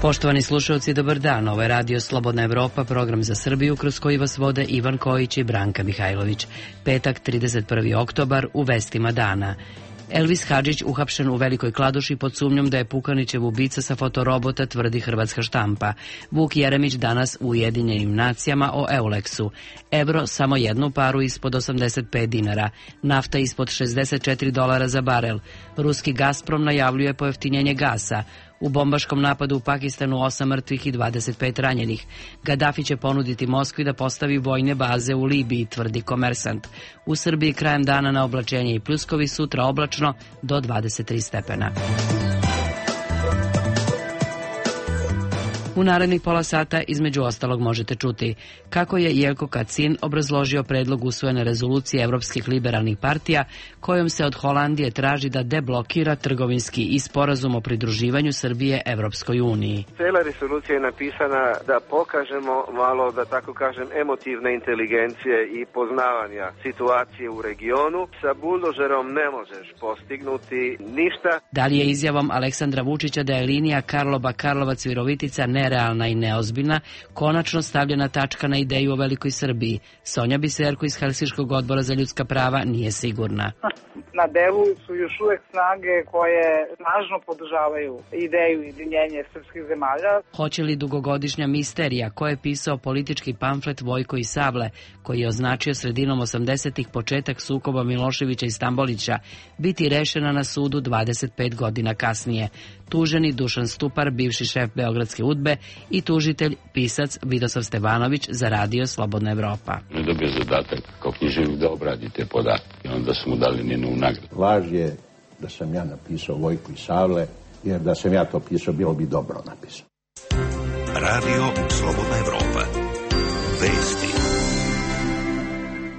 Poštovani slušalci, dobar dan. Ovo je Radio Slobodna Evropa, program za Srbiju kroz koji vas vode Ivan Kojić i Branka Mihajlović. Petak, 31. oktobar, u vestima dana. Elvis Hadžić uhapšen u Velikoj Kladuši pod sumnjom da je Pukanićev ubica sa fotorobota, tvrdi hrvatska štampa. Vuk Jeremić danas u Ujedinjenim nacijama o Eulexu. Evro samo jednu paru ispod 85 dinara. Nafta ispod $64 za barel. Ruski Gazprom najavljuje pojeftinjenje gasa. U bombaškom napadu u Pakistanu 8 mrtvih i 25 ranjenih. Gadafi će ponuditi Moskvi da postavi vojne baze u Libiji, tvrdi Komersant. U Srbiji krajem dana na oblačenje i pljuskovi, sutra oblačno do 23 stepena. U narednih pola sata između ostalog možete čuti kako je Jelko Kacin obrazložio predlog usvojene rezolucije evropskih liberalnih partija kojom se od Holandije traži da deblokira trgovinski i sporazum o pridruživanju Srbije Evropskoj uniji. Cela rezolucija je napisana da pokažemo malo, da tako kažem, emotivne inteligencije i poznavanja situacije u regionu. Sa buldožerom ne možeš postignuti ništa. Da li je izjavom Aleksandra Vučića da je linija Karlobag-Karlovac-Virovitica nerealna i neozbiljna, konačno stavljena tačka na ideju o Velikoj Srbiji? Sonja Biserko iz Helsinškog odbora za ljudska prava nije sigurna. Na delu su još uvek snage koje snažno podržavaju ideju jedinjenja srpskih zemalja. Hoće li dugogodišnja misterija ko je pisao politički pamflet Vojko i Sable, koji je označio sredinom 80-ih početak sukoba Miloševića i Stambolića, biti rešena na sudu 25 godina kasnije? Tuženi Dušan Stupar, bivši šef Beogradske UDBE, i tužitelj, pisac Vidosav Stevanović za Radio Slobodna Evropa. Ne dobije zadatak kao književnik da obradi te podatke, onda su mu dali njenu nagradu. Laž je da sam ja napisao Vojku i Savle, jer da sam ja to pisao, bilo bi dobro napisao. Radio Slobodna Evropa. Vesti.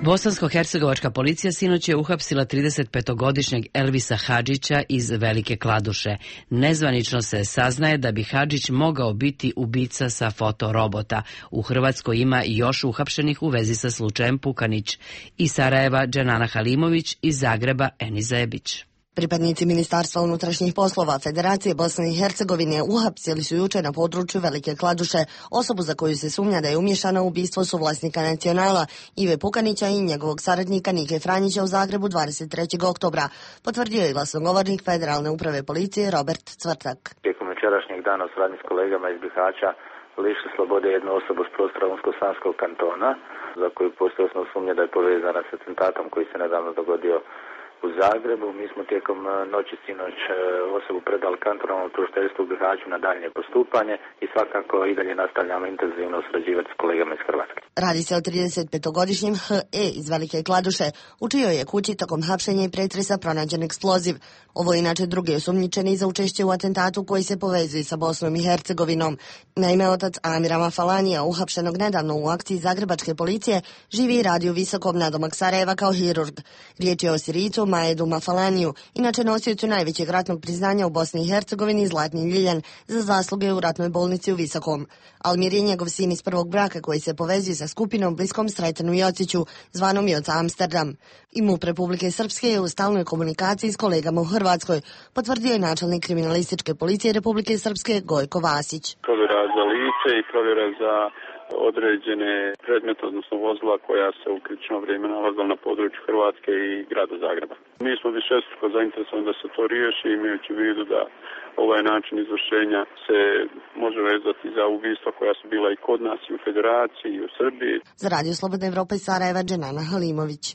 Bosansko-hercegovačka policija sinoć je uhapsila 35-godišnjeg Elvisa Hadžića iz Velike Kladuše. Nezvanično se saznaje da bi Hadžić mogao biti ubica sa fotorobota. U Hrvatskoj ima još uhapšenih u vezi sa slučajem Pukanić. Iz Sarajeva Dženana Halimović, iz Zagreba Enis Zebić. Pripadnici Ministarstva unutrašnjih poslova Federacije Bosne i Hercegovine uhapsili su juče na području Velike Kladuše osobu za koju se sumnja da je umješana u ubistvo suvlasnika Nacionala Ive Pukanića i njegovog saradnika Nike Franjića u Zagrebu 23. oktobra, potvrdio je glasnogovornik Federalne uprave policije Robert Cvrtak. Tijekom večerašnjeg dana u suradnji s kolegama iz Bihaća lišili slobode jednu osobu s prostora Unsko-Sanskog kantona, za koju postoji osnovna sumnja da je povezana s atentatom koji se nedavno dogodio u Zagrebu. Mi smo tijekom noći sinoć osobu predali kantonalnom tužiteljstvu u Bihaću na daljnje postupanje i svakako i dalje nastavljamo intenzivno surađivati s kolegama iz Hrvatske. Radi se o 35-godišnjem H.E. iz Velike Kladuše, u čijoj je kući tokom hapšenja i pretresa pronađen eksploziv. Ovo je inače drugi osumnjičeni za učešće u atentatu koji se povezuje sa Bosnom i Hercegovinom. Naime, otac Amira Mafalanija, uhapšenog nedavno u akciji zagrebačke policije, živi i radi u Visokom nadomak Sarajeva kao hirurg. Riječ je o Sirijicu Majedu Mafalaniju, inače nosiocu najvećeg ratnog priznanja u Bosni i Hercegovini, Zlatni Ljiljan, za zasluge u ratnoj bolnici u Visokom. Almir je njegov sin iz prvog braka koji se povezuje sa skupinom bliskom Sretenu Jociću, zvanom Joca Amsterdam. I MUP Republike Srpske je u stalnoj komunikaciji s kolegama u Hrvatskoj, potvrdio je načelnik kriminalističke policije Republike Srpske Gojko Vasić. Provjera za lice i provjera za određene predmete, odnosno vozila koja se u kritično vrijeme nalazila na području Hrvatske i grada Zagreba. Mi smo višestruko zainteresovani da se to riješi, imajući u vidu da ovaj način izvršenja se može vezati za ubistva koja su bila i kod nas i u Federaciji i u Srbiji. Za Radio Slobodna Evropa iz Sarajeva Dženana Halimović.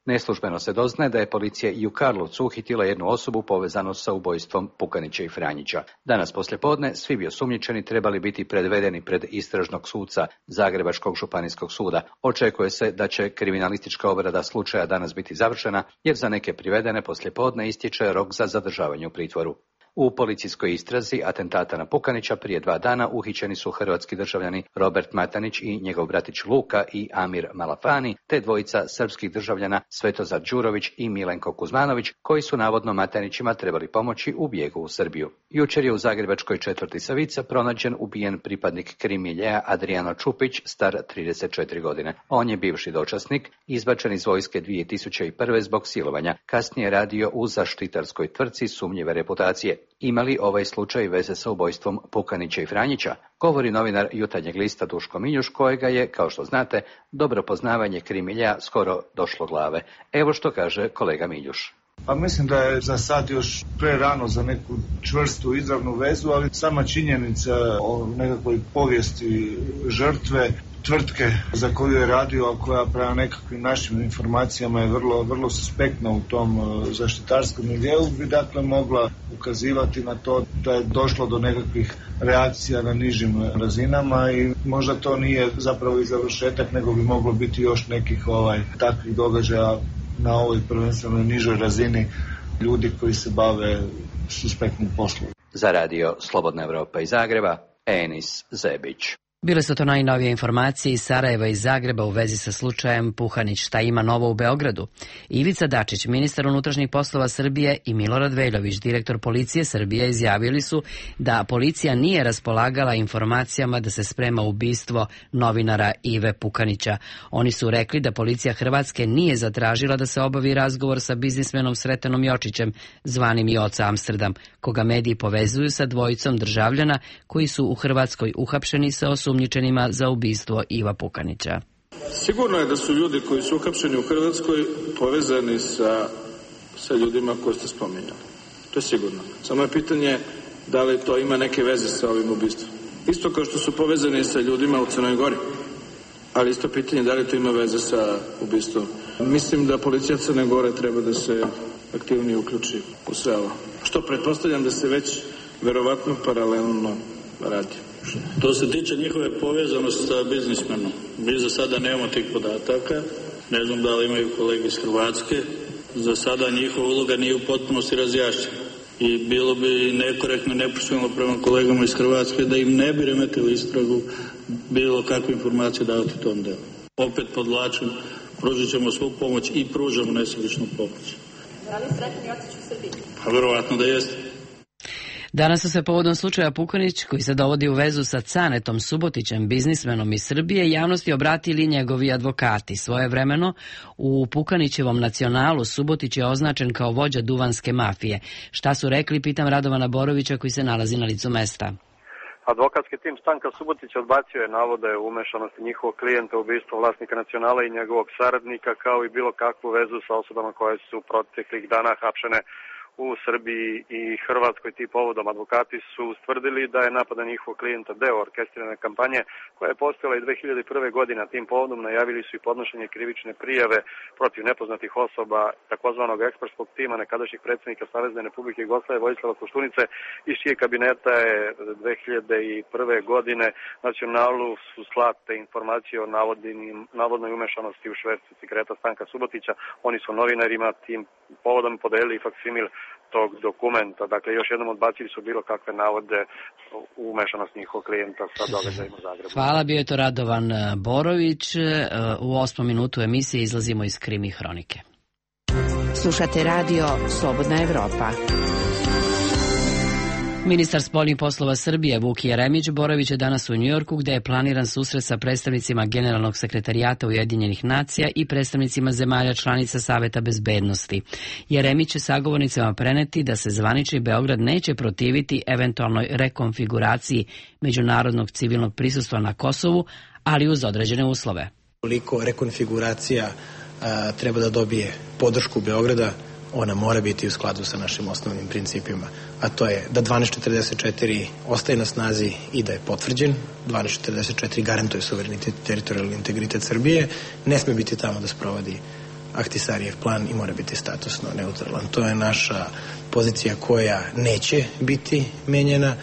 Neslužbeno se doznaje da je policija i u Karlovcu uhitila jednu osobu povezanu sa ubojstvom Pukanića i Franjića. Danas poslijepodne svi bi osumnjičeni trebali biti predvedeni pred istražnog suca Zagrebačkog županijskog suda. Očekuje se da će kriminalistička obrada slučaja danas biti završena, jer za neke privedene poslijepodne istječe rok za zadržavanje u pritvoru. U policijskoj istrazi atentata na Pukanića prije 2 dana uhićeni su hrvatski državljani Robert Matanić i njegov bratić Luka i Amir Malafani, te dvojica srpskih državljana Svetozar Đurović i Milenko Kuzmanović, koji su navodno Matanićima trebali pomoći u bijegu u Srbiju. Jučer je u zagrebačkoj četvrti Savica pronađen ubijen pripadnik krim miljea Adriano Čupić, star 34 godine. On je bivši dočasnik, izbačen iz vojske 2001. zbog silovanja. Kasnije radio u zaštitarskoj tvrtci sumnjive reputacije. Ima li ovaj slučaj veze sa ubojstvom Pukanića i Franjića? Govori novinar Jutarnjeg lista Duško Miljuš, kojega je, kao što znate, dobro poznavanje krimilja skoro došlo glave. Evo što kaže kolega Miljuš. Pa mislim da je za sad još pre rano za neku čvrstu izravnu vezu, ali sama činjenica o nekakvoj povijesti žrtve, tvrtke za koju je radio, a koja prema nekakvim našim informacijama je vrlo suspektna u tom zaštitarskom miljeu, bi dakle mogla ukazivati na to da je došlo do nekakvih reakcija na nižim razinama i možda to nije zapravo i završetak, nego bi moglo biti još nekih takvih događaja na ovoj prvenstveno nižoj razini ljudi koji se bave suspektnim poslom. Za radio Slobodna Evropa iz Zagreba, Enis Zebić. Bile su to najnovije informacije iz Sarajeva i Zagreba u vezi sa slučajem Puhanić. Šta ima novo u Beogradu? Ivica Dačić, ministar unutrašnjih poslova Srbije, i Milorad Veljović, direktor policije Srbije, izjavili su da policija nije raspolagala informacijama da se sprema ubistvo novinara Ive Pukanića. Oni su rekli da policija Hrvatske nije zatražila da se obavi razgovor sa biznismenom Sretanom Jočićem, zvanim Joca Amsterdam, koga mediji povezuju sa dvojicom državljana koji su u Hrvatskoj uhapšeni sa osumnjičenima za ubistvo Iva Pukanića. Sigurno je da su ljudi koji su uhapšeni u Hrvatskoj povezani sa ljudima koje ste spominjali. To je sigurno. Samo je pitanje da li to ima neke veze sa ovim ubistvom. Isto kao što su povezani sa ljudima u Crnoj Gori. Ali isto pitanje da li to ima veze sa ubistvom. Mislim da policija Crne Gore treba da se aktivnije uključi u sve ovo. Što pretpostavljam da se već verovatno paralelno radi. To se tiče njihove povezanosti sa biznismenom. Mi za sada nemamo tih podataka. Ne znam da li imaju kolege iz Hrvatske. Za sada njihova uloga nije u potpunosti razjašnjena. I bilo bi nekorektno, nepošteno prema kolegama iz Hrvatske da im ne bi remetili istragu bilo kakvu informaciju davati tom delu. Opet podvlačim, pružit ćemo svu pomoć i pružamo nesebičnu pomoć. Da li Sretan Jočić u Srbiji? Pa verovatno da jeste. Danas su se povodom slučaja Pukanić, koji se dovodi u vezu sa Canetom Subotićem, biznismenom iz Srbije, javnosti obratili njegovi advokati. Svojevremeno, u Pukanićevom Nacionalu Subotić je označen kao vođa duvanske mafije. Šta su rekli, pitam Radovana Borovića, koji se nalazi na licu mesta. Advokatski tim Stanka Subotića odbacio je navode o umešanosti njihovog klijenta u ubistvo vlasnika Nacionala i njegovog saradnika, kao i bilo kakvu vezu sa osobama koje su proteklih dana hapšene u Srbiji i Hrvatskoj. Ti povodom advokati su stvrdili da je napad na njihovog klijenta deo orkestrirane kampanje koja je postojala i 2001. godine. Tim povodom najavili su i podnošenje krivične prijave protiv nepoznatih osoba takozvanog ekspertskog tima nekadašnjih predsjednika Savezne Republike Jugoslavije Vojislava Koštunice, iz čije kabineta je 2001. godine Nacionalu su slate informacije o navodnoj umešanosti u švercu cigareta Stanka Subotića. Oni su novinarima tim povodom podelili faksimil tog dokumenta. Dakle, još jednom odbacili su bilo kakve navode u umešanost njihovog klijenta sa događajima u Zagrebu. Hvala, bio je to Radovan Borović. U 8. minutu emisije izlazimo iz Krimi hronike. Slušate radio Slobodna Evropa. Ministar spoljnih poslova Srbije Vuk Jeremić boravit će danas u Njujorku, gde je planiran susret sa predstavnicima Generalnog sekretarijata Ujedinjenih nacija i predstavnicima zemalja članica Saveta bezbednosti. Jeremić će sagovornicama preneti da se zvanični Beograd neće protiviti eventualnoj rekonfiguraciji međunarodnog civilnog prisustva na Kosovu, ali uz određene uslove. Koliko rekonfiguracija treba da dobije podršku Beograda, ona mora biti u skladu sa našim osnovnim principima, a to je da 1244 ostaje na snazi i da je potvrđen. 1244 garantuje suverenitet i teritorijalni integritet Srbije, ne sme biti tamo da sprovodi Ahtisarijev plan i mora biti statusno neutralan. To je naša pozicija koja neće biti menjena.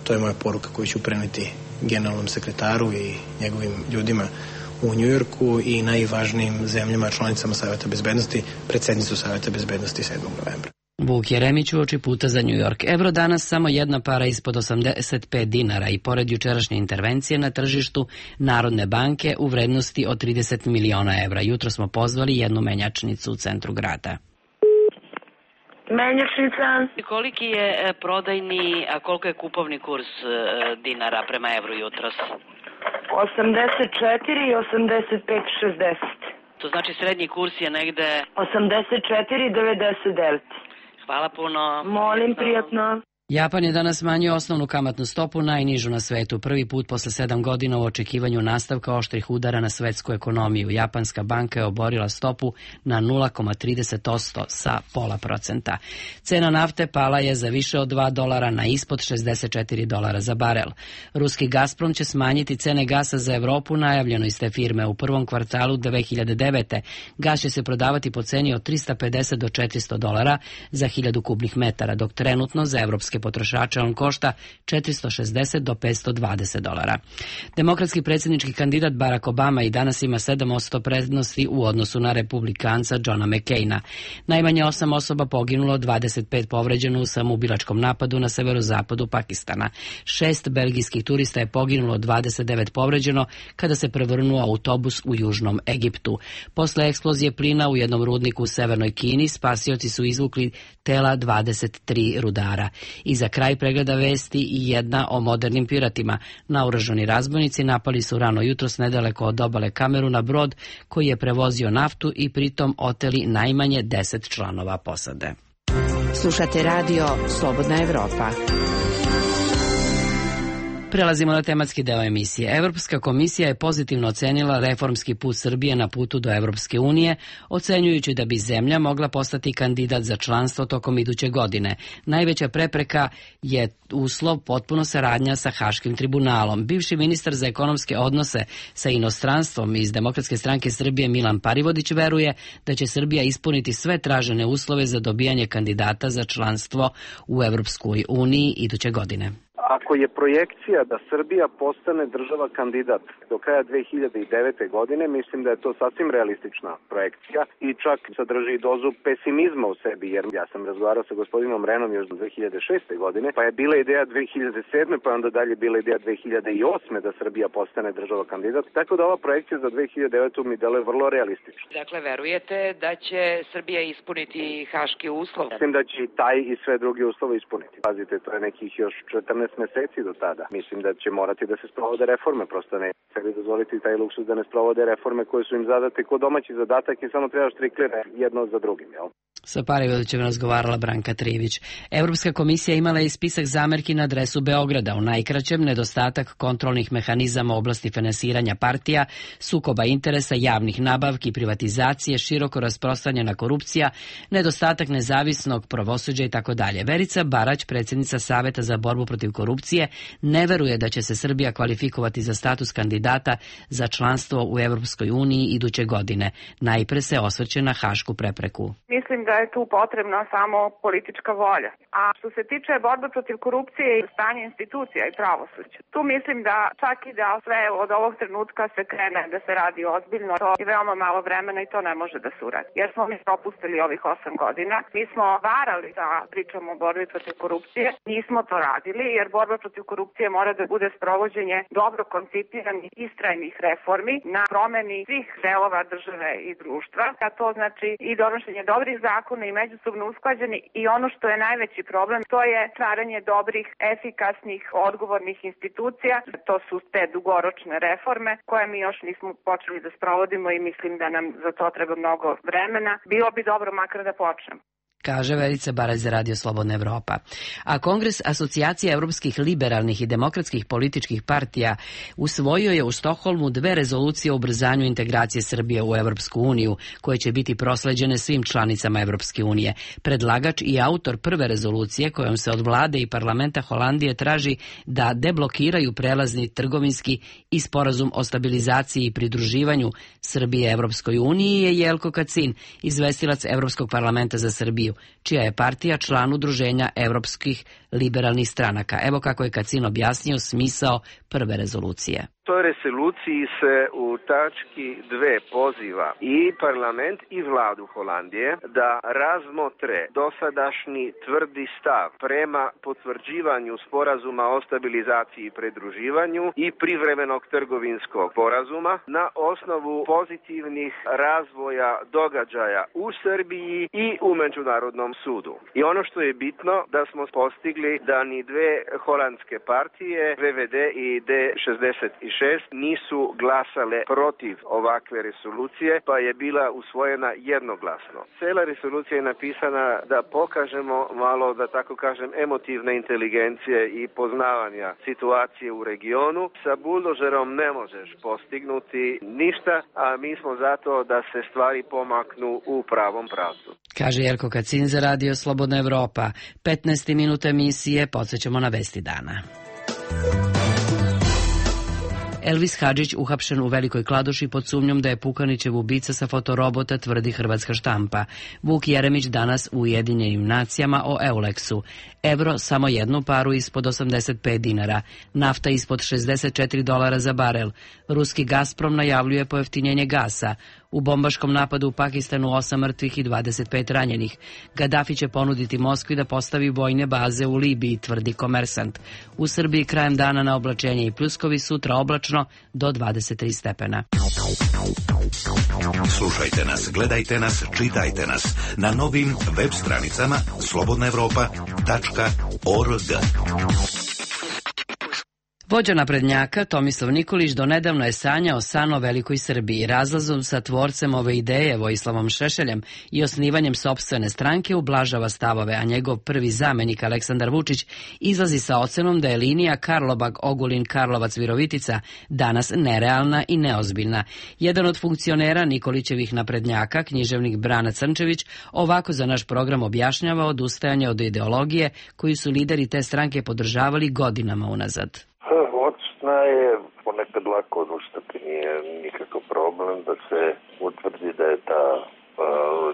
To je moja poruka koju ću preneti generalnom sekretaru i njegovim ljudima u Njujorku i najvažnijim zemljama članicama Saveta bezbednosti, predsjednicu Saveta bezbednosti 7. novembra. Vuk Jeremić uoči puta za Njujork. Evro danas samo jedna para ispod 85 dinara i pored jučerašnje intervencije na tržištu Narodne banke u vrednosti od 30 miliona evra. Jutro smo pozvali jednu menjačnicu u centru grada. Menjačnica. Koliki je prodajni, a koliko je kupovni kurs dinara prema evru jutros? 84 i 85, 60. To znači srednji kurs je negde... 84 i 99. Hvala puno. Molim, prijatno. Japan je danas smanjio osnovnu kamatnu stopu, najnižu na svetu. Prvi put posle 7 godina u očekivanju nastavka oštrih udara na svetsku ekonomiju. Japanska banka je oborila stopu na 0,30% sa 0,5%. Cena nafte pala je za više od $2 na ispod $64 za barel. Ruski Gazprom će smanjiti cene gasa za Evropu, najavljeno iz te firme. U prvom kvartalu 2009. gas će se prodavati po ceni od $350 do $400 za 1000 kubnih metara, dok trenutno za evropske potrošače on košta $460 do $520. Demokratski predsjednički kandidat Barack Obama i danas ima 7% prednosti u odnosu na republikanca Johna McCaina. Najmanje 8 osoba poginulo, 25 povređeno u samoubilačkom napadu na severozapadu Pakistana. 6 belgijskih turista je poginulo, 29 povređeno kada se prevrnuo autobus u južnom Egiptu. Posle eksplozije plina u jednom rudniku u severnoj Kini, spasioci su izvukli tela 23 rudara. I za kraj pregleda vesti i jedna o modernim piratima. Naoružani razbojnici napali su rano jutros nedaleko od obale Kameruna brod koji je prevozio naftu i pritom oteli najmanje 10 članova posade. Slušate radio Slobodna Evropa. Prelazimo na tematski deo emisije. Evropska komisija je pozitivno ocenila reformski put Srbije na putu do Evropske unije, ocenjujući da bi zemlja mogla postati kandidat za članstvo tokom iduće godine. Najveća prepreka je uslov potpuno saradnja sa Haškim tribunalom. Bivši ministar za ekonomske odnose sa inostranstvom iz Demokratske stranke Srbije Milan Parivodić veruje da će Srbija ispuniti sve tražene uslove za dobijanje kandidata za članstvo u Evropskoj uniji iduće godine. Ako je projekcija da Srbija postane država kandidat do kraja 2009. godine, mislim da je to sasvim realistična projekcija i čak sadrži dozu pesimizma u sebi, jer ja sam razgovarao sa gospodinom Renom još do 2006. godine, pa je bila ideja 2007. pa je onda dalje bila ideja 2008. da Srbija postane država kandidat, tako da ova projekcija za 2009. mi deluje vrlo realistična. Dakle, verujete da će Srbija ispuniti haški uslov? Mislim da će i taj i sve druge uslove ispuniti. Pazite, to je nekih još 14 meseci do tada. Mislim da će morati da se sprovode reforme, prosto ne sebi dozvoliti taj luksus da ne sprovode reforme koje su im zadate ko domaći zadatak i samo treba štriklere jedno za drugim, jel? Sa Parivodićem razgovarala Branka Trivić. Evropska komisija imala je spisak zamerki na adresu Beograda. U najkraćem, nedostatak kontrolnih mehanizama u oblasti finansiranja partija, sukoba interesa, javnih nabavki, privatizacije, široko rasprostranjena korupcija, nedostatak nezavisnog pravosuđa itd. Verica Barać, predsjednica Saveta za borbu protiv korupcije, ne veruje da će se Srbija kvalifikovati za status kandidata za članstvo u Evropskoj uniji iduće godine. Najpre se osvrće na hašku prepreku. Mislim da je tu potrebna samo politička volja. A što se tiče borbe protiv korupcije i stanja institucija i pravosuđa, tu mislim da čak i da sve od ovog trenutka se krene da se radi ozbiljno, to je veoma malo vremena i to ne može da se uradi. Jer smo mi propustili ovih 8 godina. Mi smo varali da pričamo o borbi protiv korupcije, nismo to radili jer borba protiv korupcije mora da bude sprovođenje dobro koncipiranih istrajnih reformi na promeni svih delova države i društva, a to znači i donošenje dobrih zakona i međusobno usklađeni i ono što je najveći problem, to je stvaranje dobrih, efikasnih, odgovornih institucija. To su te dugoročne reforme koje mi još nismo počeli da sprovodimo i mislim da nam za to treba mnogo vremena. Bilo bi dobro makar da počnemo, kaže Verica Barać za Radio Slobodna Evropa. A Kongres Asocijacije evropskih liberalnih i demokratskih političkih partija usvojio je u Stokholmu 2 rezolucije o ubrzanju integracije Srbije u Evropsku uniju, koje će biti prosleđene svim članicama Evropske unije. Predlagač i autor prve rezolucije, kojom se od vlade i parlamenta Holandije traži da deblokiraju prelazni trgovinski i sporazum o stabilizaciji i pridruživanju Srbije Evropskoj uniji, je Jelko Kacin, izvestilac Evropskog parlamenta za Srbiju, čija je partija član udruženja evropskih liberalnih stranaka. Evo kako je Kacin objasnio smisao prve rezolucije. U toj rezoluciji se u tački 2 poziva i parlament i vladu Holandije da razmotre dosadašnji tvrdi stav prema potvrđivanju sporazuma o stabilizaciji i pridruživanju i privremenog trgovinskog sporazuma na osnovu pozitivnih razvoja događaja u Srbiji i u Međunarodnom sudu. I ono što je bitno, da smo postigli rekli da ni dve holandske partije, VVD i D66, nisu glasale protiv ovakve resolucije, pa je bila usvojena jednoglasno. Cela resolucija je napisana da pokažemo malo, da tako kažem, emotivne inteligencije i poznavanja situacije u regionu. Sa buldožerom ne možeš postignuti ništa, a mi smo zato da se stvari pomaknu u pravom pravcu. Kaže Jelko Kacin za Radio Slobodna Evropa. 15 minuta emisije, podsjećamo na vesti dana. Elvis Hadžić uhapšen u Velikoj Kladuši pod sumnjom da je Pukanićev ubica sa fotorobota, tvrdi hrvatska štampa. Vuk Jeremić danas u Ujedinjenim nacijama o Eulexu. Evro samo jednu paru ispod 85 dinara. Nafta ispod $64 za barel. Ruski Gazprom najavljuje pojeftinjenje gasa. U bombaškom napadu u Pakistanu 8 mrtvih i 25 ranjenih. Gadafi će ponuditi Moskvi da postavi vojne baze u Libiji, tvrdi Komersant. U Srbiji krajem dana na oblačenje i pljuskovi, sutra oblačno do 23 stepena. Slušajte nas, gledajte nas, čitajte nas na novim web stranicama slobodnaevropa.org. Vođa naprednjaka Tomislav Nikolić donedavno je sanjao san o velikoj Srbiji. Razlazom sa tvorcem ove ideje, Vojislavom Šešeljem, i osnivanjem sopstvene stranke ublažava stavove, a njegov prvi zamenik Aleksandar Vučić izlazi sa ocenom da je linija Karlobag-Ogulin-Karlovac-Virovitica danas nerealna i neozbiljna. Jedan od funkcionera Nikolićevih naprednjaka, književnik Brana Crnčević, ovako za naš program objašnjava odustajanje od ideologije koju su lideri te stranke podržavali godinama unazad. Odsna je ponekad lako odustati, nije nikakav problem da se utvrdi da je ta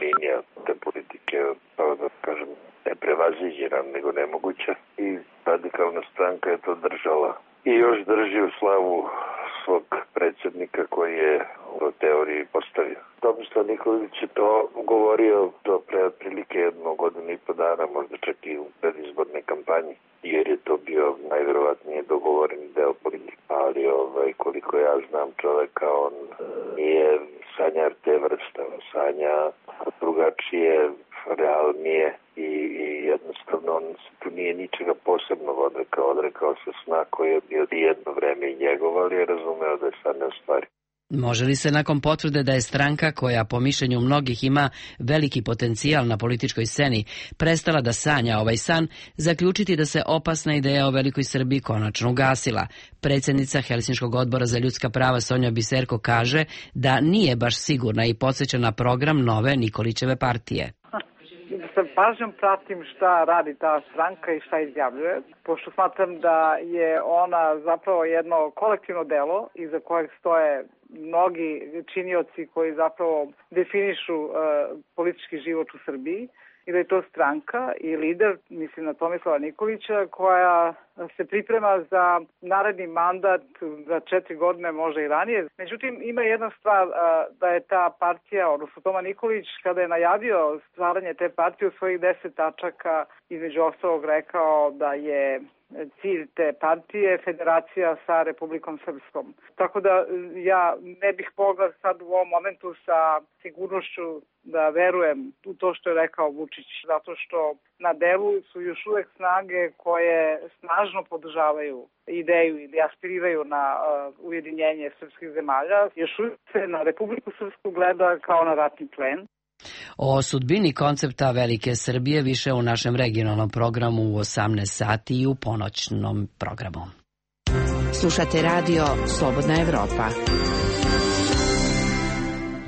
linija te politike, da kažem, ne prevaziđena, nego nemoguća, i radikalna stranka je to držala i još drži u slavu svog predsjednika koji je u teoriji postavio. Tomislav Nikolić je to govorio do pre otprilike 1 godinu i po dana, možda čak i u predizbornoj kampanji, jer je to bio najvjerovatnije dogovoreni deo politike. Ali koliko ja znam čoveka, on nije sanjar te vrste, on sanja drugačije, realnije i jednostavno on tu nije ničega posebnog odrekao se sna koji je bio jedno vreme i njegov, ali je razumeo da je sad ne ostvari. Može li se nakon potvrde da je stranka, koja po mišljenju mnogih ima veliki potencijal na političkoj sceni, prestala da sanja ovaj san, zaključiti da se opasna ideja o velikoj Srbiji konačno ugasila? Predsjednica Helsinškog odbora za ljudska prava Sonja Biserko kaže da nije baš sigurna i podsjeća na program nove Nikolićeve partije. Sa pažnjom pratim šta radi ta stranka i šta izjavljuje, pošto smatram da je ona zapravo jedno kolektivno delo iza kojeg stoje mnogi činioci koji zapravo definišu politički život u Srbiji, i da je to stranka i lider, mislim na Tomislava Nikolića, koja se priprema za naredni mandat za 4 godine, možda i ranije. Međutim, ima jedna stvar, da je ta partija, odnosno Toma Nikolić, kada je najavio stvaranje te partije u svojih 10 tačaka, između ostalog rekao da je cilj te partije federacija sa Republikom Srpskom. Tako da ja ne bih mogla sad u ovom momentu sa sigurnošću da verujem u to što je rekao Vučić, zato što na delu su još uvek snage koje snažno podržavaju ideju ili aspiriraju na ujedinjenje srpskih zemalja. Još uvek se na Republiku Srpsku gleda kao na ratni plen. O sudbini koncepta Velike Srbije više u našem regionalnom programu u 18 sati i u ponoćnom programu. Slušate radio Slobodna Evropa.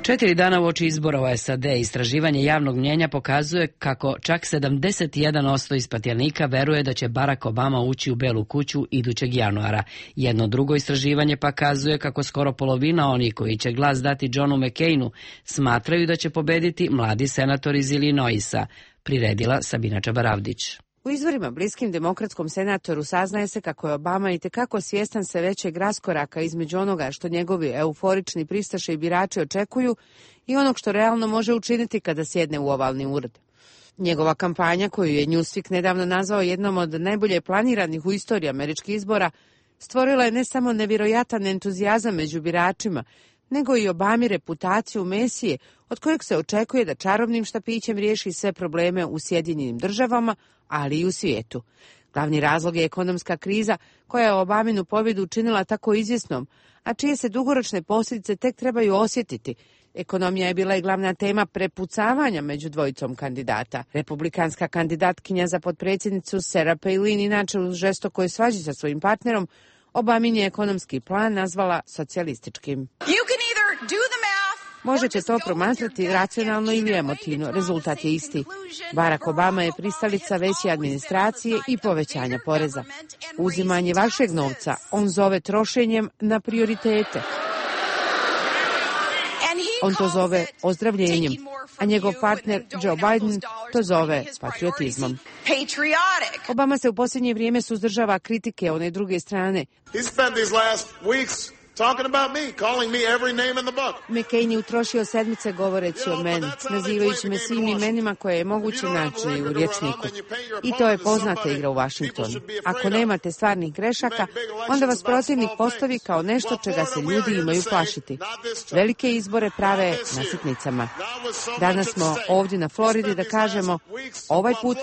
4 dana uoči izbora u SAD istraživanje javnog mnjenja pokazuje kako čak 71% ispitanika veruje da će Barack Obama ući u Belu kuću idućeg januara. Jedno drugo istraživanje pokazuje kako skoro polovina onih koji će glas dati Johnu McCainu smatraju da će pobediti mladi senator iz Illinoisa, priredila Sabina Čabaravdić. U izvorima bliskim demokratskom senatoru saznaje se kako je Obama itekako svjestan sve većeg raskoraka između onoga što njegovi euforični pristaše i birači očekuju i onog što realno može učiniti kada sjedne u ovalni ured. Njegova kampanja, koju je Newsweek nedavno nazvao jednom od najbolje planiranih u istoriji američkih izbora, stvorila je ne samo nevjerojatan entuzijazam među biračima, nego i Obami reputaciju Mesije, od kojeg se očekuje da čarobnim štapićem riješi sve probleme u Sjedinjenim Državama, ali i u svijetu. Glavni razlog je ekonomska kriza koja je Obaminu pobjedu učinila tako izvjesnom, a čije se dugoročne posljedice tek trebaju osjetiti. Ekonomija je bila i glavna tema prepucavanja među dvojicom kandidata. Republikanska kandidatkinja za potpredsjednicu Sarah Palin, inače u žestokoj svađi sa svojim partnerom, Obamin je ekonomski plan nazvala socijalističkim. Možete to promatrati racionalno ili emotivno, rezultat je isti. Barack Obama je pristalica veće administracije i povećanja poreza. Uzimanje vašeg novca on zove trošenjem na prioritete. On to zove ozdravljenjem, a njegov partner Joe Biden to zove patriotizmom. Obama se u posljednje vrijeme suzdržava kritike one druge strane. McCain je utrošio sedmice govoreći o meni, nazivajući me svim imenima koje je moguće naći u rječniku. I to je poznata igra u Washingtonu. Ako nemate stvarnih grešaka, onda vas protivnik postavi kao nešto čega se ljudi imaju plašiti. Velike izbore prave na sitnicama. Danas smo ovdje na Floridi da kažemo ovaj put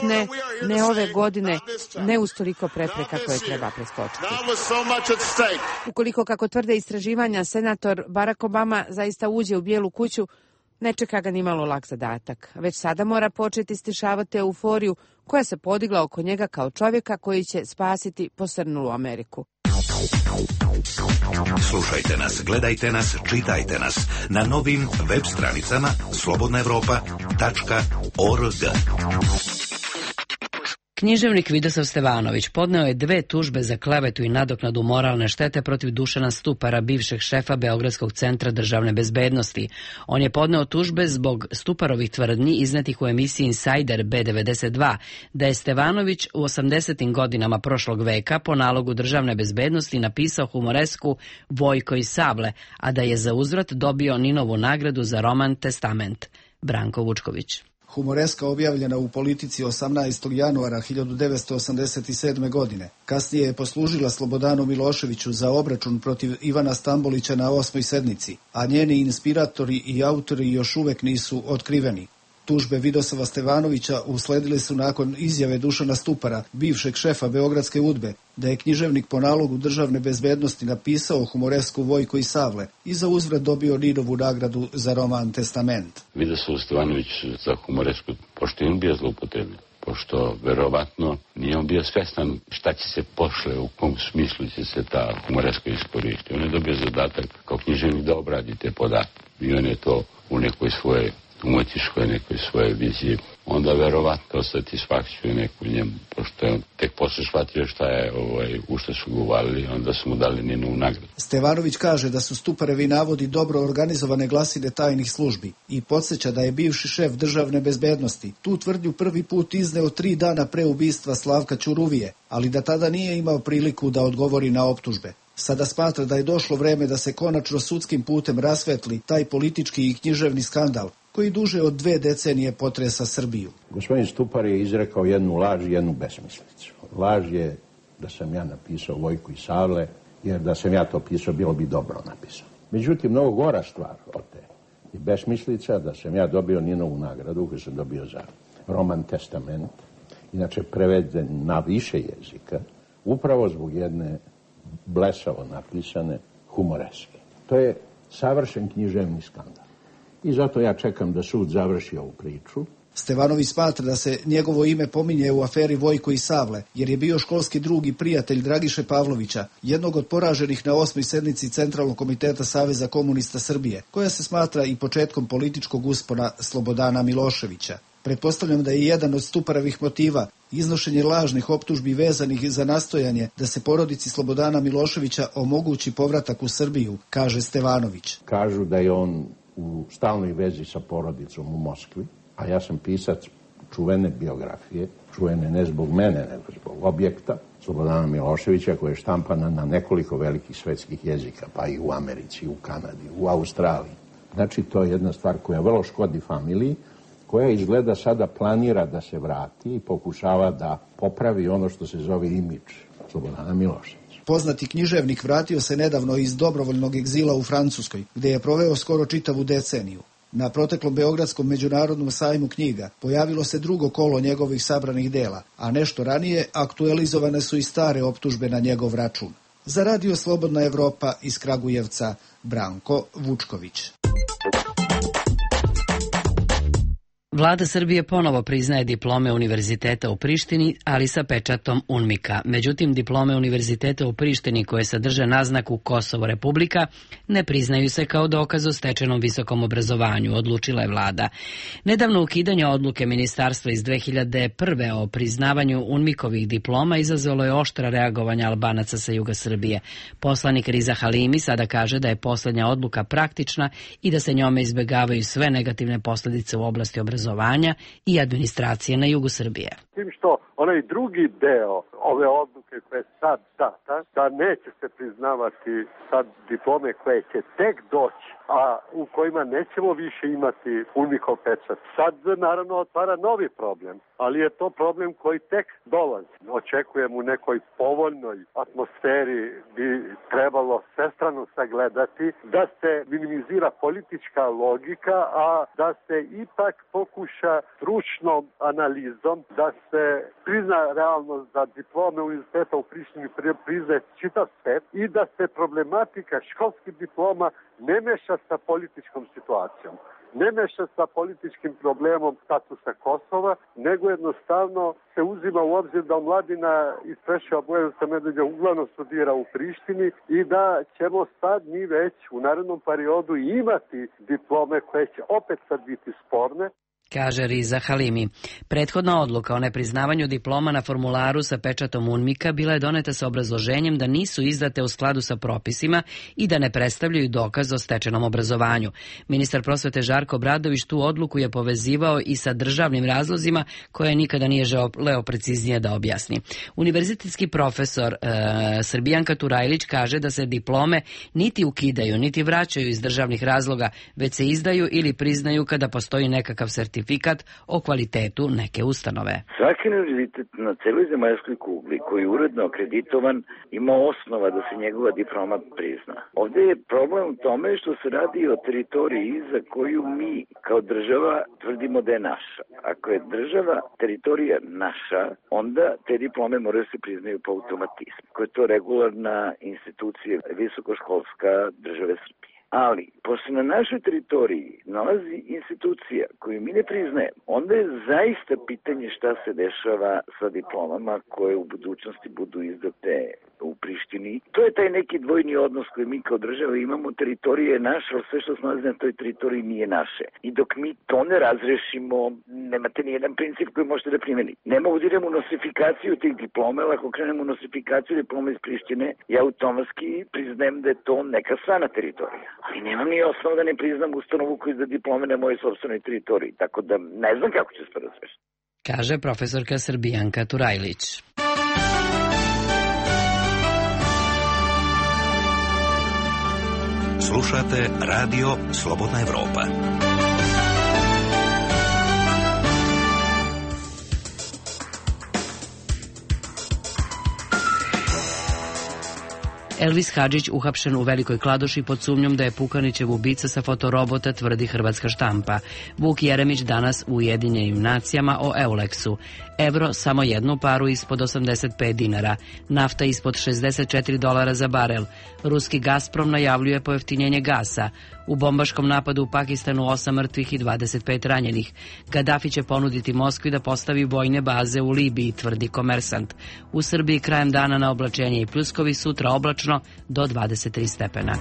ne ove godine, ne uz toliko prepreka koje treba preskočiti. Ukoliko, kako tvrde istraživanja, senator Barack Obama zaista uđe u Bijelu kuću, ne čeka ga nimalo lak zadatak. Već sada mora početi stišavati euforiju koja se podigla oko njega kao čovjeka koji će spasiti posrnulu Ameriku. Slušajte nas, gledajte nas, čitajte nas na novim web stranicama slobodnaevropa.org. Književnik Vidosav Stevanović podneo je 2 tužbe za klevetu i nadoknadu moralne štete protiv Dušana Stupara, bivšeg šefa Beogradskog centra državne bezbednosti. On je podneo tužbe zbog Stuparovih tvrdnji iznetih u emisiji Insider B92, da je Stevanović u 80. godinama prošlog veka po nalogu državne bezbednosti napisao humoresku Vojko i Sable, a da je za uzvrat dobio Ninovu nagradu za roman Testament. Branko Vučković. Humoreska objavljena u Politici 18. januara 1987. godine. Kasnije je poslužila Slobodanu Miloševiću za obračun protiv Ivana Stambolića na 8. sednici, a njeni inspiratori i autori još uvek nisu otkriveni. Tužbe Vidosava Stevanovića usledile su nakon izjave Dušana Stupara, bivšeg šefa Beogradske UDBE, da je književnik po nalogu državne bezbednosti napisao humoresku Vojko i Savle i za uzvrat dobio Ninovu nagradu za roman Testament. Vidosav Stevanović za humoresku, pošto je on bio zloupotrebljen, pošto verovatno nije on bio svestan šta će se posle, u kom smislu će se ta humoreska iskoristiti. On je dobio zadatak kao književnik da obradi te podatke i on je to u nekoj svoje umetničkoj nekoj svoje viziji, onda verovatno satisfakciju neku njemu, pošto je on tek posle shvatio šta je, u što su ga uvalili, onda su mu dali Ninovu nagradu. Stevanović kaže da su Stuparevi navodi dobro organizovane glasine tajnih službi i podsjeća da je bivši šef državne bezbednosti tu tvrdnju prvi put izneo 3 dana pre ubistva Slavka Ćuruvije, ali da tada nije imao priliku da odgovori na optužbe. Sada smatra da je došlo vreme da se konačno sudskim putem rasvetli taj politički i književni skandal koji duže od 2 decenije potresa Srbiju. Gospodin Stupar je izrekao jednu laž i jednu besmislicu. Laž je da sam ja napisao Vojku i Savle, jer da sam ja to pisao bilo bi dobro napisao. Međutim, mnogo gora stvar od te je besmislica da sam ja dobio Ninovu nagradu koju sam dobio za roman Testament, inače preveden na više jezika, upravo zbog jedne blesavo napisane humoreske. To je savršen književni skandal. I zato ja čekam da sud završi ovu priču. Stevanović smatra da se njegovo ime pominje u aferi Vojko i Savle, jer je bio školski drug i prijatelj Dragiše Pavlovića, jednog od poraženih na 8. sednici Centralnog komiteta Saveza komunista Srbije, koja se smatra i početkom političkog uspona Slobodana Miloševića. Pretpostavljam da je jedan od Stuparovih motiva iznošenje lažnih optužbi vezanih za nastojanje da se porodici Slobodana Miloševića omogući povratak u Srbiju, kaže Stevanović. Kažu da je on u stalnoj vezi sa porodicom u Moskvi, a ja sam pisac čuvene biografije, čuvene ne zbog mene, nego zbog objekta Slobodana Miloševića, koja je štampana na nekoliko velikih svetskih jezika, pa i u Americi, u Kanadi, u Australiji. Znači, to je jedna stvar koja vrlo škodi familiji, koja izgleda sada planira da se vrati i pokušava da popravi ono što se zove imidž Slobodana Miloševića. Poznati književnik vratio se nedavno iz dobrovoljnog egzila u Francuskoj, gde je proveo skoro čitavu deceniju. Na proteklom Beogradskom međunarodnom sajmu knjiga pojavilo se drugo kolo njegovih sabranih dela, a nešto ranije aktualizovane su i stare optužbe na njegov račun. Za Radio Slobodna Evropa iz Kragujevca, Branko Vučković. Vlada Srbije ponovo priznaje diplome univerziteta u Prištini, ali sa pečatom UNMIK-a. Međutim, diplome univerziteta u Prištini koje sadrže naznaku Kosovo Republika ne priznaju se kao dokaz o stečenom visokom obrazovanju, odlučila je vlada. Nedavno ukidanje odluke ministarstva iz 2001. o priznavanju UNMIK-ovih diploma izazvalo je oštra reagovanja Albanaca sa juga Srbije. Poslanik Riza Halimi sada kaže da je poslednja odluka praktična i da se njome izbegavaju sve negativne posledice u oblasti obrazovanja i administracije na jugu Srbije. Tim što onaj drugi deo ove odluke koje je sad data, da neće se priznavati sad diplome koje će tek doći, a u kojima nećemo više imati UNMIK-ov pečat. Sad naravno otvara novi problem, ali je to problem koji tek dolazi. Očekujem u nekoj povoljnoj atmosferi bi trebalo svestrano sagledati da se minimizira politička logika, a da se ipak pokuša stručnom analizom da se prizna realnost da diplome univerziteta u Prištini priznaje čitav svet i da se problematika školskih diploma ne meša sa političkom situacijom. Ne meša sa političkim problemom statusa Kosova, nego jednostavno se uzima u obzir da omladina iz Preševa, Bujanovca, Medveđa uglavnom studira u Prištini i da ćemo sad mi već u narednom periodu imati diplome koje će opet sad biti sporne. Kaže Riza Halimi. Prethodna odluka o nepriznavanju diploma na formularu sa pečatom UNMIK-a bila je doneta sa obrazloženjem da nisu izdate u skladu sa propisima i da ne predstavljaju dokaz o stečenom obrazovanju. Ministar prosvete Žarko Obradović tu odluku je povezivao i sa državnim razlozima koje nikada nije želeo preciznije da objasni. Univerzitetski profesor Srbijanka Turajlić kaže da se diplome niti ukidaju, niti vraćaju iz državnih razloga, već se izdaju ili priznaju kada postoji nekakav sertifikat o kvalitetu neke ustanove. Svaki univerzitet na celoj zemaljskoj kugli koji je uredno akreditovan ima osnova da se njegova diploma prizna. Ovdje je problem u tome što se radi o teritoriji za koju mi kao država tvrdimo da je naša. Ako je država teritorija naša, onda te diplome moraju se priznaju po automatizmu. Ako je to regularna institucija visokoškolska države Srbije. Ali, pošto na našoj teritoriji nalazi institucija koju mi ne priznajemo, onda je zaista pitanje šta se dešava sa diplomama koje u budućnosti budu izdate u Prištini. To je taj neki dvojni odnos koji mi kao država imamo. Teritorija je naša, ali sve što se nalazi na toj teritoriji nije naše. I dok mi to ne razrešimo, nemate ni jedan princip koji možete da primenite. Ne mogu da idemo u nosifikaciju tih diploma, ali ako krenemo u nosifikaciju diploma iz Prištine, ja automatski priznajem da je to neka strana teritorija. Ali nemam ni osnov da ne priznam ustanovu koji izda diplome na mojoj sopstvenoj teritoriji, tako da ne znam kako će se to razrešiti. Kaže profesorka Srbijanka Turajlić. Slušate Radio Slobodna Evropa. Elvis Hadžić uhapšen u Velikoj Kladuši pod sumnjom da je Pukanićev ubica sa fotorobota, tvrdi hrvatska štampa. Vuk Jeremić danas u Ujedinjenim nacijama o Eulexu. Evro samo jednu paru ispod 85 dinara. Nafta ispod $64 za barel. Ruski Gazprom najavljuje pojeftinjenje gasa. U bombaškom napadu u Pakistanu 8 mrtvih i 25 ranjenih. Gadafi će ponuditi Moskvi da postavi vojne baze u Libiji, tvrdi Komersant. U Srbiji krajem dana na oblačenje i pljuskovi, sutra oblačno do 23 stepena.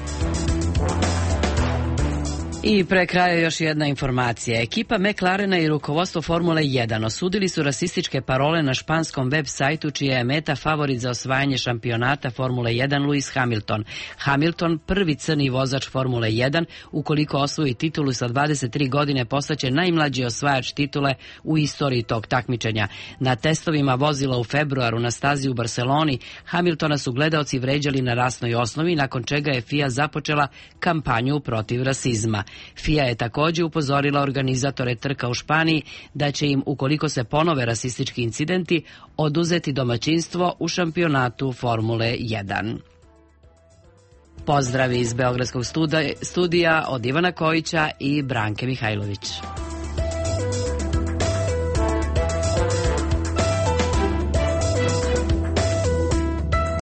I pre kraja još jedna informacija. Ekipa McLarena i rukovodstvo Formule 1 osudili su rasističke parole na španskom web sajtu čija je meta favorit za osvajanje šampionata Formule 1 Lewis Hamilton. Hamilton, prvi crni vozač Formule 1, ukoliko osvoji titulu sa 23 godine, postaće najmlađi osvajač titule u istoriji tog takmičenja. Na testovima vozila u februaru na stazi u Barceloni Hamiltona su gledaoci vređali na rasnoj osnovi, nakon čega je FIA započela kampanju protiv rasizma. FIA je također upozorila organizatore trka u Španiji da će im, ukoliko se ponove rasistički incidenti, oduzeti domaćinstvo u šampionatu Formule 1. Pozdrav iz Beogradskog studija od Ivana Kojića i Branke Mihajlović.